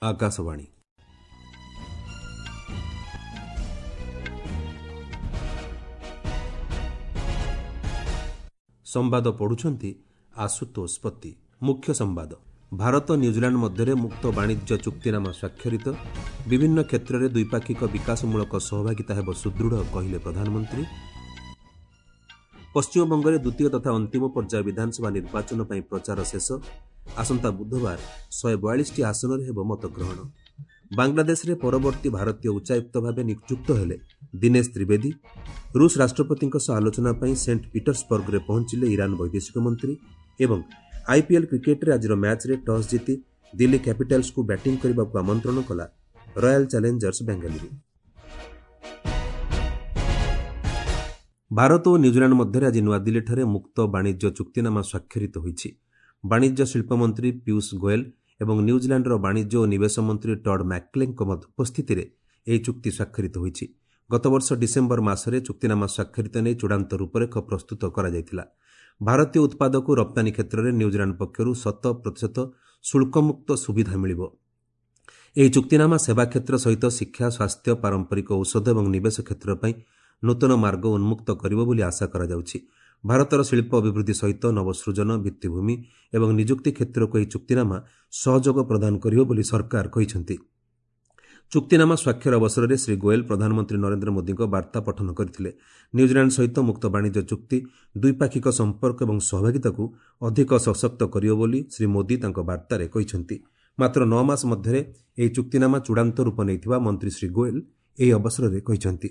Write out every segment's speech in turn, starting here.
ଆକାଶବାଣୀ। ସମ୍ବାଦ ପଢ଼ୁଛନ୍ତି ଆଶୁତୋଷ ପତି। ମୁଖ୍ୟ ସମ୍ବାଦ। ଭାରତ ନ୍ୟୁଜିଲାଣ୍ଡ ମଧ୍ୟରେ ମୁକ୍ତ ବାଣିଜ୍ୟ ଚୁକ୍ତିନାମା ସ୍ୱାକ୍ଷରିତ। ବିଭିନ୍ନ କ୍ଷେତ୍ରରେ ଦ୍ୱିପାକ୍ଷିକ ବିକାଶମୂଳକ ସହଭାଗିତା ହେବ ସୁଦୃଢ଼, କହିଲେ ପ୍ରଧାନମନ୍ତ୍ରୀ। ପଶ୍ଚିମବଙ୍ଗରେ ଦ୍ୱିତୀୟ ତଥା ଅନ୍ତିମ ପର୍ଯ୍ୟାୟ ବିଧାନସଭା ନିର୍ବାଚନ ପାଇଁ ପ୍ରଚାର ଶେଷ। ଆସନ୍ତା ବୁଧବାର 142ଟି ଆସନରେ ହେବ ମତଗ୍ରହଣ। ବାଂଲାଦେଶରେ ପରବର୍ତ୍ତୀ ଭାରତୀୟ ଉଚ୍ଚାୟୁକ୍ତ ଭାବେ ନିଯୁକ୍ତ ହେଲେ ଦିନେଶ ତ୍ରିବେଦୀ। ରୁଷ ରାଷ୍ଟ୍ରପତିଙ୍କ ସହ ଆଲୋଚନା ପାଇଁ ସେଣ୍ଟ ପିଟର୍ସବର୍ଗରେ ପହଞ୍ଚିଲେ ଇରାନ ବୈଦେଶିକ ମନ୍ତ୍ରୀ। ଏବଂ ଆଇପିଏଲ୍ କ୍ରିକେଟରେ ଆଜିର ମ୍ୟାଚ୍ରେ ଟସ୍ ଜିତି ଦିଲ୍ଲୀ କ୍ୟାପିଟାଲ୍ସକୁ ବ୍ୟାଟିଂ କରିବାକୁ ଆମନ୍ତ୍ରଣ କଲା ରୟାଲ ଚ୍ୟାଲେଞ୍ଜର୍ସ ବେଙ୍ଗାଲୁରୁ। ଭାରତ ଓ ନ୍ୟୁଜିଲାଣ୍ଡ ମଧ୍ୟରେ ଆଜି ନୂଆଦିଲ୍ଲୀଠାରେ ମୁକ୍ତ ବାଣିଜ୍ୟ ଚୁକ୍ତିନାମା ସ୍ୱାକ୍ଷରିତ ହୋଇଛି। ବାଣିଜ୍ୟ ଶିଳ୍ପମନ୍ତ୍ରୀ ପୀୟୁଷ ଗୋଏଲ ଏବଂ ନ୍ୟୁଜିଲାଣ୍ଡର ବାଣିଜ୍ୟ ଓ ନିବେଶ ମନ୍ତ୍ରୀ ଟଡ୍ ମ୍ୟାକ୍ଲେଙ୍କ ଉପସ୍ଥିତିରେ ଏହି ଚୁକ୍ତି ସ୍ୱାକ୍ଷରିତ ହୋଇଛି। ଗତବର୍ଷ ଡିସେମ୍ବର ମାସରେ ଚୁକ୍ତିନାମା ସ୍ୱାକ୍ଷରିତ ନେଇ ଚୂଡ଼ାନ୍ତ ରୂପରେଖ ପ୍ରସ୍ତୁତ କରାଯାଇଥିଲା। ଭାରତୀୟ ଉତ୍ପାଦକୁ ରପ୍ତାନୀ କ୍ଷେତ୍ରରେ ନ୍ୟୁଜିଲାଣ୍ଡ ପକ୍ଷରୁ 100% ଶୁଳ୍କମୁକ୍ତ ସୁବିଧା ମିଳିବ। ଏହି ଚୁକ୍ତିନାମା ସେବା କ୍ଷେତ୍ର ସହିତ ଶିକ୍ଷା, ସ୍ୱାସ୍ଥ୍ୟ, ପାରମ୍ପରିକ ଔଷଧ ଏବଂ ନିବେଶ କ୍ଷେତ୍ର ପାଇଁ ନୂତନ ମାର୍ଗ ଉନ୍ମୁକ୍ତ କରିବ ବୋଲି ଆଶା କରାଯାଉଛି। ଭାରତର ଶିଳ୍ପ ଅଭିବୃଦ୍ଧି ସହିତ ନବସୃଜନ, ଭିତ୍ତିଭୂମି ଏବଂ ନିଯୁକ୍ତି କ୍ଷେତ୍ରକୁ ଏହି ଚୁକ୍ତିନାମା ସହଯୋଗ ପ୍ରଦାନ କରିବ ବୋଲି ସରକାର କହିଛନ୍ତି। ଚୁକ୍ତିନାମା ସ୍ୱାକ୍ଷର ଅବସରରେ ଶ୍ରୀ ଗୋଏଲ ପ୍ରଧାନମନ୍ତ୍ରୀ ନରେନ୍ଦ୍ର ମୋଦିଙ୍କ ବାର୍ତ୍ତା ପଠନ କରିଥିଲେ। ନ୍ୟୁଜିଲାଣ୍ଡ ସହିତ ମୁକ୍ତ ବାଣିଜ୍ୟ ଚୁକ୍ତି ଦ୍ୱିପାକ୍ଷିକ ସମ୍ପର୍କ ଏବଂ ସହଭାଗିତାକୁ ଅଧିକ ସଶକ୍ତ କରିବ ବୋଲି ଶ୍ରୀ ମୋଦି ତାଙ୍କ ବାର୍ତ୍ତାରେ କହିଛନ୍ତି। ମାତ୍ର 9 ମାସ ମଧ୍ୟରେ ଏହି ଚୁକ୍ତିନାମା ଚୂଡ଼ାନ୍ତ ରୂପ ନେଇଥିବା ମନ୍ତ୍ରୀ ଶ୍ରୀ ଗୋଏଲ ଏହି ଅବସରରେ କହିଛନ୍ତି।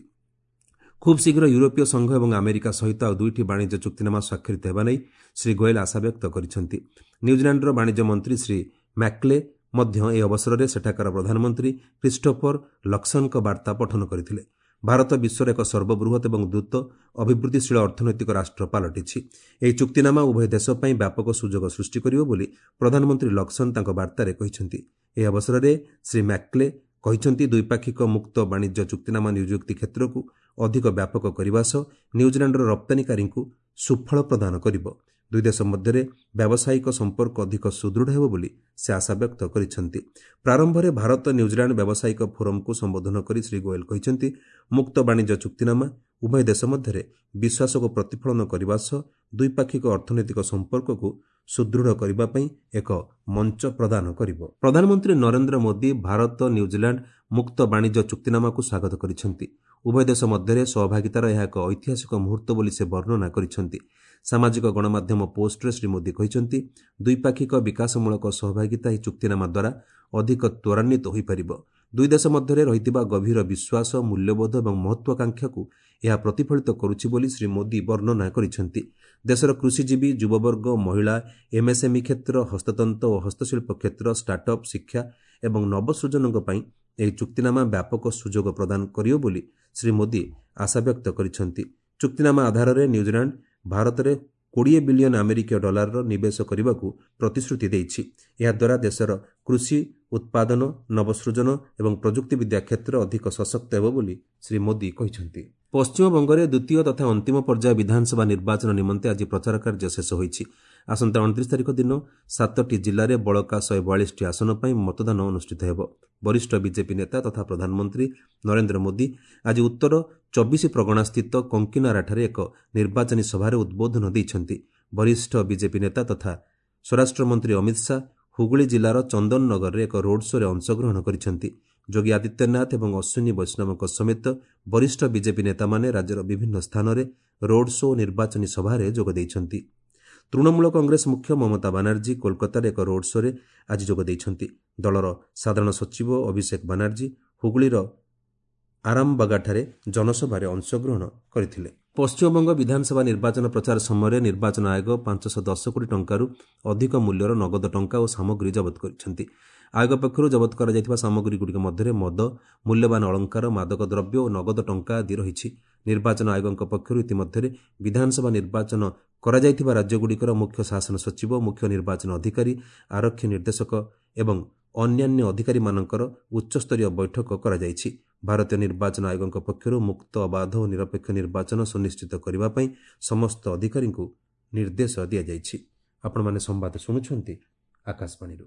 ଖୁବ୍ ଶୀଘ୍ର ୟୁରୋପୀୟ ସଂଘ ଏବଂ ଆମେରିକା ସହିତ ଆଉ 2ଟି ବାଣିଜ୍ୟ ଚୁକ୍ତିନାମା ସ୍ୱାକ୍ଷରିତ ହେବା ନେଇ ଶ୍ରୀ ଗୋଏଲ ଆଶାବ୍ୟକ୍ତ କରିଛନ୍ତି। ନ୍ୟୁଜିଲାଣ୍ଡର ବାଣିଜ୍ୟ ମନ୍ତ୍ରୀ ଶ୍ରୀ ମ୍ୟାକ୍ଲେ ମଧ୍ୟ ଏହି ଅବସରରେ ସେଠାକାର ପ୍ରଧାନମନ୍ତ୍ରୀ କ୍ରିଷ୍ଟୋଫର ଲକ୍ସନଙ୍କ ବାର୍ତ୍ତା ପଠନ କରିଥିଲେ। ଭାରତ ବିଶ୍ୱର ଏକ ସର୍ବବୃହତ୍ ଏବଂ ଦ୍ରୁତ ଅଭିବୃଦ୍ଧିଶୀଳ ଅର୍ଥନୈତିକ ରାଷ୍ଟ୍ର ପାଲଟିଛି। ଏହି ଚୁକ୍ତିନାମା ଉଭୟ ଦେଶ ପାଇଁ ବ୍ୟାପକ ସୁଯୋଗ ସୃଷ୍ଟି କରିବ ବୋଲି ପ୍ରଧାନମନ୍ତ୍ରୀ ଲକ୍ସନ ତାଙ୍କ ବାର୍ତ୍ତାରେ କହିଛନ୍ତି। ଏହି ଅବସରରେ ଶ୍ରୀ ମ୍ୟାକ୍ଲେ କହିଛନ୍ତି, ଦ୍ୱିପାକ୍ଷିକ ମୁକ୍ତ ବାଣିଜ୍ୟ ଚୁକ୍ତିନାମା ନିଯୁକ୍ତି କ୍ଷେତ୍ରକୁ ଅଧିକ ବ୍ୟାପକ କରିବା ସହ ନ୍ୟୁଜିଲାଣ୍ଡର ରପ୍ତାନୀକାରୀଙ୍କୁ ସୁଫଳ ପ୍ରଦାନ କରିବ। ଦୁଇ ଦେଶ ମଧ୍ୟରେ ବ୍ୟାବସାୟିକ ସମ୍ପର୍କ ଅଧିକ ସୁଦୃଢ଼ ହେବ ବୋଲି ସେ ଆଶାବ୍ୟକ୍ତ କରିଛନ୍ତି। ପ୍ରାରମ୍ଭରେ ଭାରତ ନ୍ୟୁଜିଲାଣ୍ଡ ବ୍ୟାବସାୟିକ ଫୋରମକୁ ସମ୍ବୋଧନ କରି ଶ୍ରୀ ଗୋଏଲ କହିଛନ୍ତି, ମୁକ୍ତ ବାଣିଜ୍ୟ ଚୁକ୍ତିନାମା ଉଭୟ ଦେଶ ମଧ୍ୟରେ ବିଶ୍ୱାସକୁ ପ୍ରତିଫଳନ କରିବା ସହ ଦ୍ୱିପାକ୍ଷିକ ଅର୍ଥନୈତିକ ସମ୍ପର୍କକୁ ସୁଦୃଢ଼ କରିବା ପାଇଁ ଏକ ମଞ୍ଚ ପ୍ରଦାନ କରିବ। ପ୍ରଧାନମନ୍ତ୍ରୀ ନରେନ୍ଦ୍ର ମୋଦି ଭାରତ ନ୍ୟୁଜିଲାଣ୍ଡ ମୁକ୍ତ ବାଣିଜ୍ୟ ଚୁକ୍ତିନାମାକୁ ସ୍ୱାଗତ କରିଛନ୍ତି। ଉଭୟ ଦେଶ ମଧ୍ୟରେ ସହଭାଗିତାର ଏହା ଏକ ଐତିହାସିକ ମୁହୂର୍ତ୍ତ ବୋଲି ସେ ବର୍ଣ୍ଣନା କରିଛନ୍ତି। ସାମାଜିକ ଗଣମାଧ୍ୟମ ପୋଷ୍ଟରେ ଶ୍ରୀ ମୋଦି କହିଛନ୍ତି, ଦ୍ୱିପାକ୍ଷିକ ବିକାଶମୂଳକ ସହଭାଗିତା ଏହି ଚୁକ୍ତିନାମା ଦ୍ୱାରା ଅଧିକ ତ୍ୱରାନ୍ୱିତ ହୋଇପାରିବ। ଦୁଇ ଦେଶ ମଧ୍ୟରେ ରହିଥିବା ଗଭୀର ବିଶ୍ୱାସ, ମୂଲ୍ୟବୋଧ ଏବଂ ମହତ୍ୱାକାଂକ୍ଷାକୁ ଏହା ପ୍ରତିଫଳିତ କରୁଛି ବୋଲି ଶ୍ରୀ ମୋଦି ବର୍ଣ୍ଣନା କରିଛନ୍ତି। ଦେଶର କୃଷିଜୀବୀ, ଯୁବବର୍ଗ, ମହିଳା, ଏମ୍ଏସ୍ଏମ୍ଇ କ୍ଷେତ୍ର, ହସ୍ତତନ୍ତ ଓ ହସ୍ତଶିଳ୍ପ କ୍ଷେତ୍ର, ଷ୍ଟାର୍ଟଅପ୍, ଶିକ୍ଷା ଏବଂ ନବସୃଜନଙ୍କ ପାଇଁ ଏହି ଚୁକ୍ତିନାମା ବ୍ୟାପକ ସୁଯୋଗ ପ୍ରଦାନ କରିବ ବୋଲି ଶ୍ରୀ ମୋଦି ଆଶାବ୍ୟକ୍ତ କରିଛନ୍ତି। ଚୁକ୍ତିନାମା ଆଧାରରେ ନ୍ୟୁଜିଲାଣ୍ଡ ଭାରତରେ 20 ବିଲିୟନ ଆମେରିକୀୟ ଡଲାରର ନିବେଶ କରିବାକୁ ପ୍ରତିଶ୍ରୁତି ଦେଇଛି। ଏହାଦ୍ୱାରା ଦେଶର କୃଷି ଉତ୍ପାଦନ, ନବସୃଜନ ଏବଂ ପ୍ରଯୁକ୍ତିବିଦ୍ୟା କ୍ଷେତ୍ର ଅଧିକ ସଶକ୍ତ ହେବ ବୋଲି ଶ୍ରୀ ମୋଦି କହିଛନ୍ତି। ପଶ୍ଚିମବଙ୍ଗରେ ଦ୍ୱିତୀୟ ତଥା ଅନ୍ତିମ ପର୍ଯ୍ୟାୟ ବିଧାନସଭା ନିର୍ବାଚନ ନିମନ୍ତେ ଆଜି ପ୍ରଚାର କାର୍ଯ୍ୟ ଶେଷ ହୋଇଛି। ଆସନ୍ତା 29 ତାରିଖ ଦିନ 7ଟି ଜିଲ୍ଲାରେ ବଳକା 142ଟି ଆସନ ପାଇଁ ମତଦାନ ଅନୁଷ୍ଠିତ ହେବ। ବରିଷ୍ଠ ବିଜେପି ନେତା ତଥା ପ୍ରଧାନମନ୍ତ୍ରୀ ନରେନ୍ଦ୍ର ମୋଦି ଆଜି ଉତ୍ତର 24 ପ୍ରଗଣାସ୍ଥିତ କଙ୍କିନାରାଠାରେ ଏକ ନିର୍ବାଚନୀ ସଭାରେ ଉଦ୍ବୋଧନ ଦେଇଛନ୍ତି। ବରିଷ୍ଠ ବିଜେପି ନେତା ତଥା ସ୍ୱରାଷ୍ଟ୍ରମନ୍ତ୍ରୀ ଅମିତ ଶାହ ହୁଗୁଳି ଜିଲ୍ଲାର ଚନ୍ଦନନଗରରେ ଏକ ରୋଡ୍ ଶୋରେ ଅଂଶଗ୍ରହଣ କରିଛନ୍ତି। ଯୋଗୀ ଆଦିତ୍ୟନାଥ ଏବଂ ଅଶ୍ୱିନୀ ବୈଷ୍ଣବଙ୍କ ସମେତ ବରିଷ୍ଠ ବିଜେପି ନେତାମାନେ ରାଜ୍ୟର ବିଭିନ୍ନ ସ୍ଥାନରେ ରୋଡ୍ ଶୋ ଓ ନିର୍ବାଚନୀ ସଭାରେ ଯୋଗ ଦେଇଛନ୍ତି। ତୃଣମୂଳ କଂଗ୍ରେସ ମୁଖ୍ୟ ମମତା ବାନାର୍ଜୀ କୋଲକାତାରେ ଏକ ରୋଡ୍ ଶୋରେ ଆଜି ଯୋଗ ଦେଇଛନ୍ତି। ଦଳର ସାଧାରଣ ସଚିବ ଅଭିଷେକ ବାନାର୍ଜୀ ହୁଗୁଳିର ଆରାମବାଗାଠାରେ ଜନସଭାରେ ଅଂଶଗ୍ରହଣ କରିଥିଲେ। ପଶ୍ଚିମବଙ୍ଗ ବିଧାନସଭା ନିର୍ବାଚନ ପ୍ରଚାର ସମୟରେ ନିର୍ବାଚନ ଆୟୋଗ 510 କୋଟି ଟଙ୍କାରୁ ଅଧିକ ମୂଲ୍ୟର ନଗଦ ଟଙ୍କା ଓ ସାମଗ୍ରୀ ଜବତ କରିଛନ୍ତି। ଆୟୋଗ ପକ୍ଷରୁ ଜବତ କରାଯାଇଥିବା ସାମଗ୍ରୀଗୁଡ଼ିକ ମଧ୍ୟରେ ମଦ, ମୂଲ୍ୟବାନ ଅଳଙ୍କାର, ମାଦକ ଦ୍ରବ୍ୟ ଓ ନଗଦ ଟଙ୍କା ଆଦି ରହିଛି। ନିର୍ବାଚନ ଆୟୋଗଙ୍କ ପକ୍ଷରୁ ଇତିମଧ୍ୟରେ ବିଧାନସଭା ନିର୍ବାଚନ କରାଯାଇଥିବା ରାଜ୍ୟଗୁଡ଼ିକର ମୁଖ୍ୟ ଶାସନ ସଚିବ, ମୁଖ୍ୟ ନିର୍ବାଚନ ଅଧିକାରୀ, ଆରକ୍ଷୀ ନିର୍ଦ୍ଦେଶକ ଏବଂ ଅନ୍ୟାନ୍ୟ ଅଧିକାରୀମାନଙ୍କର ଉଚ୍ଚସ୍ତରୀୟ ବୈଠକ କରାଯାଇଛି। ଭାରତୀୟ ନିର୍ବାଚନ ଆୟୋଗଙ୍କ ପକ୍ଷରୁ ମୁକ୍ତ, ଅବାଧ ଓ ନିରପେକ୍ଷ ନିର୍ବାଚନ ସୁନିଶ୍ଚିତ କରିବା ପାଇଁ ସମସ୍ତ ଅଧିକାରୀଙ୍କୁ ନିର୍ଦ୍ଦେଶ ଦିଆଯାଇଛି। ଆପଣମାନେ ସମ୍ବାଦ ଶୁଣୁଛନ୍ତି ଆକାଶବାଣୀରୁ।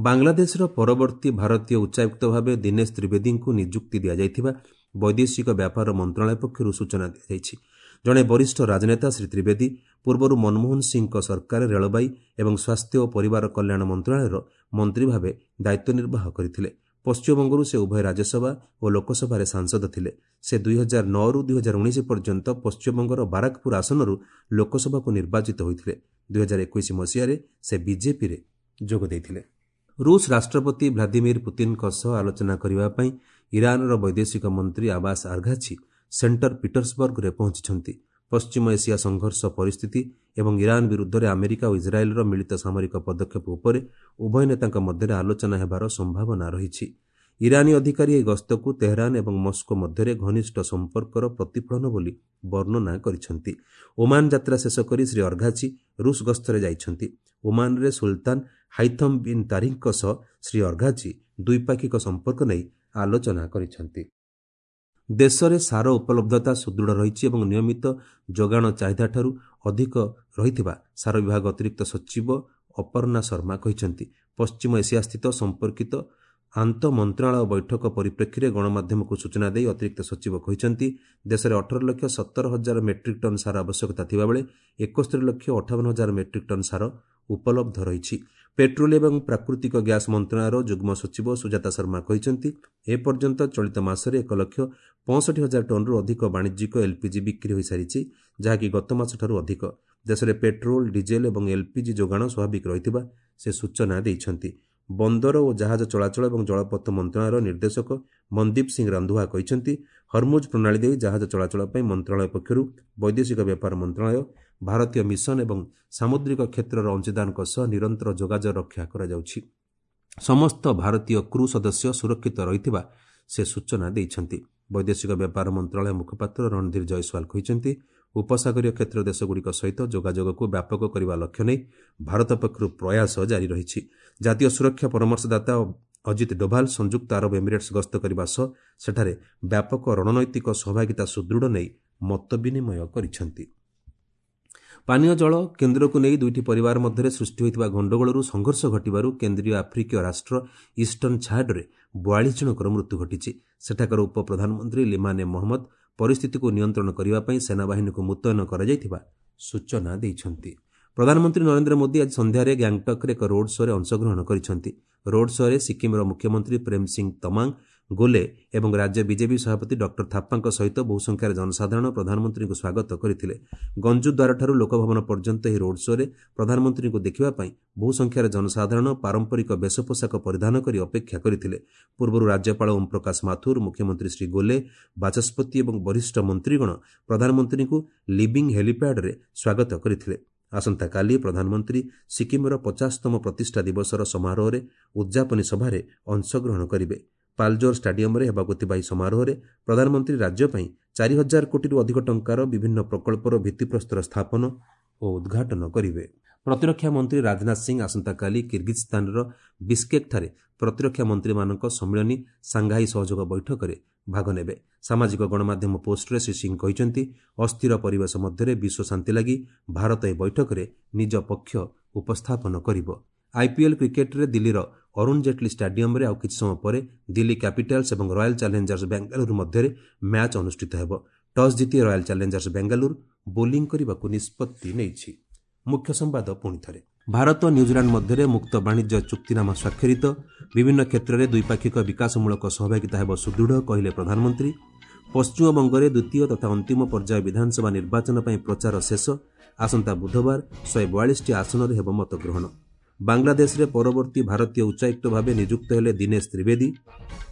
ବାଂଲାଦେଶର ପରବର୍ତ୍ତୀ ଭାରତୀୟ ଉଚ୍ଚାୟୁକ୍ତ ଭାବେ ଦିନେଶ ତ୍ରିବେଦୀଙ୍କୁ ନିଯୁକ୍ତି ଦିଆଯାଇଥିବା ବୈଦେଶିକ ବ୍ୟାପାର ମନ୍ତ୍ରଣାଳୟ ପକ୍ଷରୁ ସୂଚନା ଦିଆଯାଇଛି। ଜଣେ ବରିଷ୍ଠ ରାଜନେତା ଶ୍ରୀ ତ୍ରିବେଦୀ ପୂର୍ବରୁ ମନମୋହନ ସିଂହଙ୍କ ସରକାରରେ ରେଳବାଇ ଏବଂ ସ୍ୱାସ୍ଥ୍ୟ ଓ ପରିବାର କଲ୍ୟାଣ ମନ୍ତ୍ରଣାଳୟର ମନ୍ତ୍ରୀ ଭାବେ ଦାୟିତ୍ୱ ନିର୍ବାହ କରିଥିଲେ। ପଶ୍ଚିମବଙ୍ଗରୁ ସେ ଉଭୟ ରାଜ୍ୟସଭା ଓ ଲୋକସଭାରେ ସାଂସଦ ଥିଲେ। ସେ 2009ରୁ 2019 ପର୍ଯ୍ୟନ୍ତ ପଶ୍ଚିମବଙ୍ଗର ବାରାକପୁର ଆସନରୁ ଲୋକସଭାକୁ ନିର୍ବାଚିତ ହୋଇଥିଲେ। 2021 ମସିହାରେ ସେ ବିଜେପିରେ ଯୋଗ ଦେଇଥିଲେ। ରୁଷ ରାଷ୍ଟ୍ରପତି ଭ୍ଲାଦିମିର ପୁତିନଙ୍କ ସହ ଆଲୋଚନା କରିବା ପାଇଁ ଇରାନର ବୈଦେଶିକ ମନ୍ତ୍ରୀ ଆବାସ ଆର୍ଘାଛି ସେଣ୍ଟର ପିଟର୍ସବର୍ଗରେ ପହଞ୍ଚିଛନ୍ତି। ପଶ୍ଚିମ ଏସିଆ ସଂଘର୍ଷ ପରିସ୍ଥିତି ଏବଂ ଇରାନ ବିରୁଦ୍ଧରେ ଆମେରିକା ଓ ଇସ୍ରାଏଲ୍ର ମିଳିତ ସାମରିକ ପଦକ୍ଷେପ ଉପରେ ଉଭୟ ନେତାଙ୍କ ମଧ୍ୟରେ ଆଲୋଚନା ହେବାର ସମ୍ଭାବନା ରହିଛି। ଇରାନୀ ଅଧିକାରୀ ଏହି ଗସ୍ତକୁ ତେହରାନ ଏବଂ ମସ୍କୋ ମଧ୍ୟରେ ଘନିଷ୍ଠ ସମ୍ପର୍କର ପ୍ରତିଫଳନ ବୋଲି ବର୍ଣ୍ଣନା କରିଛନ୍ତି। ଓମାନ ଯାତ୍ରା ଶେଷ କରି ଶ୍ରୀ ଅର୍ଘାଚି ରୁଷ ଗସ୍ତରେ ଯାଇଛନ୍ତି। ଓମାନରେ ସୁଲତାନ ହାଇଥମ୍ ବିନ୍ ତାରିକଙ୍କ ସହ ଶ୍ରୀ ଅର୍ଘାଚି ଦ୍ୱିପାକ୍ଷିକ ସମ୍ପର୍କ ନେଇ ଆଲୋଚନା କରିଛନ୍ତି। ଦେଶରେ ସାର ଉପଲବ୍ଧତା ସୁଦୃଢ଼ ରହିଛି ଏବଂ ନିୟମିତ ଯୋଗାଣ ଚାହିଦାଠାରୁ ଅଧିକ ରହିଥିବା ସାର ବିଭାଗ ଅତିରିକ୍ତ ସଚିବ ଅପର୍ଣ୍ଣା ଶର୍ମା କହିଛନ୍ତି। ପଶ୍ଚିମ ଏସିଆସ୍ଥିତ ସମ୍ପର୍କିତ ଆନ୍ତଃ ମନ୍ତ୍ରଣାଳୟ ବୈଠକ ପରିପ୍ରେକ୍ଷୀରେ ଗଣମାଧ୍ୟମକୁ ସୂଚନା ଦେଇ ଅତିରିକ୍ତ ସଚିବ କହିଛନ୍ତି, ଦେଶରେ 18,17,000 ମେଟ୍ରିକ୍ ଟନ୍ ସାର ଆବଶ୍ୟକତା ଥିବାବେଳେ 71,58,000 ମେଟ୍ରିକ୍ ଟନ୍ ସାର ଉପଲବ୍ଧ ରହିଛି। ପେଟ୍ରୋଲିୟମ ଏବଂ ପ୍ରାକୃତିକ ଗ୍ୟାସ୍ ମନ୍ତ୍ରଣାଳୟର ଯୁଗ୍ମ ସଚିବ ସୁଜାତା ଶର୍ମା କହିଛନ୍ତି, ଏପର୍ଯ୍ୟନ୍ତ ଚଳିତ ମାସରେ 1,65,000 ଟନ୍ରୁ ଅଧିକ ବାଣିଜ୍ୟିକ ଏଲ୍ପିଜି ବିକ୍ରି ହୋଇସାରିଛି, ଯାହାକି ଗତ ମାସଠାରୁ ଅଧିକ। ଦେଶରେ ପେଟ୍ରୋଲ, ଡିଜେଲ ଏବଂ ଏଲ୍ପିଜି ଯୋଗାଣ ସ୍ୱାଭାବିକ ରହିଥିବା ସେ ସୂଚନା ଦେଇଛନ୍ତି। ବନ୍ଦର ଓ ଜାହାଜ ଚଳାଚଳ ଏବଂ ଜଳପଥ ମନ୍ତ୍ରଣାଳୟର ନିର୍ଦ୍ଦେଶକ ମନଦୀପ ସିଂ ରାନ୍ଧୁଆ କହିଛନ୍ତି, ହରମୁଜ ପ୍ରଣାଳୀ ଦେଇ ଜାହାଜ ଚଳାଚଳ ପାଇଁ ମନ୍ତ୍ରଣାଳୟ ପକ୍ଷରୁ ବୈଦେଶିକ ବ୍ୟାପାର ମନ୍ତ୍ରଣାଳୟ, ଭାରତୀୟ ମିଶନ ଏବଂ ସାମୁଦ୍ରିକ କ୍ଷେତ୍ରର ଅଂଶୀଦାରଙ୍କ ସହ ନିରନ୍ତର ଯୋଗାଯୋଗ ରକ୍ଷା କରାଯାଉଛି। ସମସ୍ତ ଭାରତୀୟ କ୍ରୁ ସଦସ୍ୟ ସୁରକ୍ଷିତ ରହିଥିବା ସେ ସୂଚନା ଦେଇଛନ୍ତି। ବୈଦେଶିକ ବ୍ୟାପାର ମନ୍ତ୍ରଣାଳୟ ମୁଖପାତ୍ର ରଣଧୀର ଜୟସ୍ୱାଲ କହିଛନ୍ତି, ଉପସାଗରୀୟ କ୍ଷେତ୍ର ଦେଶଗୁଡ଼ିକ ସହିତ ଯୋଗାଯୋଗକୁ ବ୍ୟାପକ କରିବା ଲକ୍ଷ୍ୟ ନେଇ ଭାରତ ପକ୍ଷରୁ ପ୍ରୟାସ ଜାରି ରହିଛି। ଜାତୀୟ ସୁରକ୍ଷା ପରାମର୍ଶଦାତା ଅଜିତ ଡୋଭାଲ ସଂଯୁକ୍ତ ଆରବ ଏମିରେଟ୍ସ ଗସ୍ତ କରିବା ସହ ସେଠାରେ ବ୍ୟାପକ ରଣନୈତିକ ସହଭାଗିତା ସୁଦୃଢ଼ ନେଇ ମତ ବିନିମୟ କରିଛନ୍ତି। ପାନୀୟ ଜଳ କେନ୍ଦ୍ରକୁ ନେଇ ଦୁଇଟି ପରିବାର ମଧ୍ୟରେ ସୃଷ୍ଟି ହୋଇଥିବା ଗଣ୍ଡଗୋଳରୁ ସଂଘର୍ଷ ଘଟିବାରୁ କେନ୍ଦ୍ରୀୟ ଆଫ୍ରିକୀୟ ରାଷ୍ଟ୍ର ଇଷ୍ଟର୍ଣ୍ଣ ଛାଡ୍ରେ 42 ଜଣଙ୍କର ମୃତ୍ୟୁ ଘଟିଛି। ସେଠାକାର ଉପପ୍ରଧାନମନ୍ତ୍ରୀ ଲିମାନେ ମହମ୍ମଦ ପରିସ୍ଥିତିକୁ ନିୟନ୍ତ୍ରଣ କରିବା ପାଇଁ ସେନାବାହିନୀକୁ ମୁତୟନ କରାଯାଇଥିବା ସୂଚନା ଦେଇଛନ୍ତି। ପ୍ରଧାନମନ୍ତ୍ରୀ ନରେନ୍ଦ୍ର ମୋଦି ଆଜି ସନ୍ଧ୍ୟାରେ ଗ୍ୟାଙ୍ଗଟକ୍ରେ ଏକ ରୋଡ୍ ଶୋରେ ଅଂଶଗ୍ରହଣ କରିଛନ୍ତି। ରୋଡ୍ ଶୋରେ ସିକ୍କିମ୍ର ମୁଖ୍ୟମନ୍ତ୍ରୀ ପ୍ରେମ ସିଂ ତମାଙ୍ଗ ଗୋଲେ ଏବଂ ରାଜ୍ୟ ବିଜେପି ସଭାପତି ଡକ୍ଟର ଥାପ୍ପାଙ୍କ ସହିତ ବହୁ ସଂଖ୍ୟାରେ ଜନସାଧାରଣ ପ୍ରଧାନମନ୍ତ୍ରୀଙ୍କୁ ସ୍ୱାଗତ କରିଥିଲେ। ଗଞ୍ଜୁଦ୍ୱାରଠାରୁ ଲୋକଭବନ ପର୍ଯ୍ୟନ୍ତ ଏହି ରୋଡ୍ ଶୋରେ ପ୍ରଧାନମନ୍ତ୍ରୀଙ୍କୁ ଦେଖିବା ପାଇଁ ବହୁ ସଂଖ୍ୟାରେ ଜନସାଧାରଣ ପାରମ୍ପରିକ ବେଶ ପୋଷାକ ପରିଧାନ କରି ଅପେକ୍ଷା କରିଥିଲେ। ପୂର୍ବରୁ ରାଜ୍ୟପାଳ ଓମ୍ ପ୍ରକାଶ ମାଥୁର, ମୁଖ୍ୟମନ୍ତ୍ରୀ ଶ୍ରୀ ଗୋଲେ, ବାଚସ୍ପତି ଏବଂ ବରିଷ୍ଠ ମନ୍ତ୍ରୀଗଣ ପ୍ରଧାନମନ୍ତ୍ରୀଙ୍କୁ ଲିଭିଂ ହେଲିପ୍ୟାଡ୍ରେ ସ୍ୱାଗତ କରିଥିଲେ। ଆସନ୍ତାକାଲି ପ୍ରଧାନମନ୍ତ୍ରୀ ସିକ୍କିମ୍ର 50ତମ ପ୍ରତିଷ୍ଠା ଦିବସର ସମାରୋହରେ ଉଦ୍ଯାପନୀ ସଭାରେ ଅଂଶଗ୍ରହଣ କରିବେ। ପାଲଜୋର ଷ୍ଟାଡିୟମରେ ହେବାକୁ ଥିବା ଏହି ସମାରୋହରେ ପ୍ରଧାନମନ୍ତ୍ରୀ ରାଜ୍ୟ ପାଇଁ 4,000 କୋଟିରୁ ଅଧିକ ଟଙ୍କାର ବିଭିନ୍ନ ପ୍ରକଳ୍ପର ଭିତ୍ତିପ୍ରସ୍ତର ସ୍ଥାପନ ଓ ଉଦ୍ଘାଟନ କରିବେ। ପ୍ରତିରକ୍ଷା ମନ୍ତ୍ରୀ ରାଜନାଥ ସିଂ ଆସନ୍ତାକାଲି କିର୍ଗିଜ୍ସ୍ତାନର ବିସ୍କେକ୍ଠାରେ ପ୍ରତିରକ୍ଷା ମନ୍ତ୍ରୀମାନଙ୍କ ସମ୍ମିଳନୀ ସାଂଘାଇ ସହଯୋଗ ବୈଠକରେ ଭାଗ ନେବେ। ସାମାଜିକ ଗଣମାଧ୍ୟମ ପୋଷ୍ଟରେ ଶ୍ରୀ ସିଂ କହିଛନ୍ତି, ଅସ୍ଥିର ପରିବେଶ ମଧ୍ୟରେ ବିଶ୍ୱ ଶାନ୍ତି ଲାଗି ଭାରତ ଏହି ବୈଠକରେ ନିଜ ପକ୍ଷ ଉପସ୍ଥାପନ କରିବ। ଆଇପିଏଲ୍ କ୍ରିକେଟ୍ରେ ଦିଲ୍ଲୀର ଅରୁଣ ଜେଟ୍ଲୀ ଷ୍ଟାଡିୟମରେ ଆଉ କିଛି ସମୟ ପରେ ଦିଲ୍ଲୀ କ୍ୟାପିଟାଲ୍ସ ଏବଂ ରୟାଲ ଚ୍ୟାଲେଞ୍ଜର୍ସ ବେଙ୍ଗାଲୁରୁ ମଧ୍ୟରେ ମ୍ୟାଚ୍ ଅନୁଷ୍ଠିତ ହେବ। ଟସ୍ ଜିତି ରୟାଲ ଚ୍ୟାଲେଞ୍ଜର୍ସ ବେଙ୍ଗାଲୁରୁ ବୋଲିଂ କରିବାକୁ ନିଷ୍ପତ୍ତି ନେଇଛି। ମୁଖ୍ୟ ସମ୍ବାଦ ପୁଣି ଥରେ। ଭାରତ ନ୍ୟୁଜିଲାଣ୍ଡ ମଧ୍ୟରେ ମୁକ୍ତ ବାଣିଜ୍ୟ ଚୁକ୍ତିନାମା ସ୍ୱାକ୍ଷରିତ। ବିଭିନ୍ନ କ୍ଷେତ୍ରରେ ଦ୍ୱିପାକ୍ଷିକ ବିକାଶମୂଳକ ସହଭାଗିତା ହେବ ସୁଦୃଢ଼, କହିଲେ ପ୍ରଧାନମନ୍ତ୍ରୀ। ପଶ୍ଚିମବଙ୍ଗରେ ଦ୍ୱିତୀୟ ତଥା ଅନ୍ତିମ ପର୍ଯ୍ୟାୟ ବିଧାନସଭା ନିର୍ବାଚନ ପାଇଁ ପ୍ରଚାର ଶେଷ। ଆସନ୍ତା ବୁଧବାର 142ଟି ଆସନରେ ହେବ ମତଗ୍ରହଣ। ବାଂଲାଦେଶରେ ପରବର୍ତ୍ତୀ ଭାରତୀୟ ଉଚ୍ଚାୟୁକ୍ତ ଭାବେ ନିଯୁକ୍ତ ହେଲେ ଦିନେଶ ତ୍ରିବେଦୀ।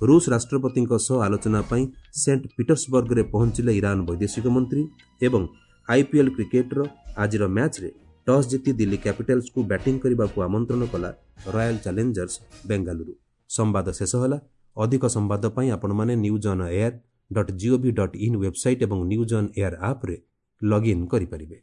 ରୁଷ ରାଷ୍ଟ୍ରପତିଙ୍କ ସହ ଆଲୋଚନା ପାଇଁ ସେଣ୍ଟ ପିଟର୍ସବର୍ଗରେ ପହଞ୍ଚିଲେ ଇରାନ ବୈଦେଶିକ ମନ୍ତ୍ରୀ। ଏବଂ ଆଇପିଏଲ୍ କ୍ରିକେଟ୍ର ଆଜିର ମ୍ୟାଚ୍ରେ ଟସ୍ ଜିତି ଦିଲ୍ଲୀ କ୍ୟାପିଟାଲ୍ସକୁ ବ୍ୟାଟିଂ କରିବାକୁ ଆମନ୍ତ୍ରଣ କଲା ରୟାଲ ଚ୍ୟାଲେଞ୍ଜର୍ସ ବେଙ୍ଗାଲୁରୁ। ସମ୍ବାଦ ଶେଷ ହେଲା। ଅଧିକ ସମ୍ବାଦ ପାଇଁ ଆପଣମାନେ newsonair.gov.in website ଏବଂ ନ୍ୟୁଜ୍ ଅନ୍ ଏୟାର ଆପ୍ରେ ଲଗ୍ଇନ୍ କରିପାରିବେ।